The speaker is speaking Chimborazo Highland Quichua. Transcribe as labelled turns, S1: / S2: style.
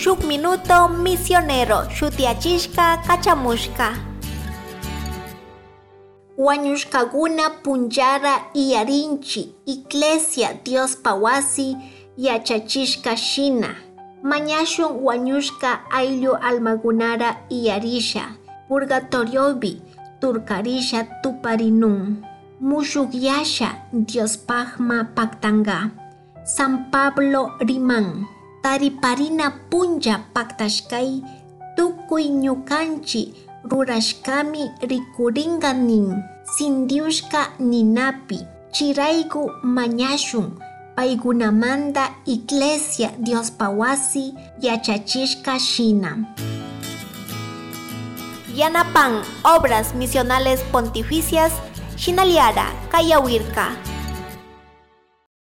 S1: Shuk Minuto Misionero shutiyachishka kachamushka. Wañushkakuna punllara iyarinchi Iglesia Diospa wasi yachachishka shina. Mañashun wañushka ayllu almagunara iyarisha purgatoriopi turkarisha tuparinun. Mushukyasha Diospajma paktanga. San Pablo riman. Tariparina punlla paktashkay tukuy ñukanchi rurashkami rikuringa nin. Sindiushka ninapi chirayku mañashun paykunamanta Iglesia Diospa wasi yachachishka shina. Yanapan Obras Misionales Pontificias Shinaliara Kayawirka.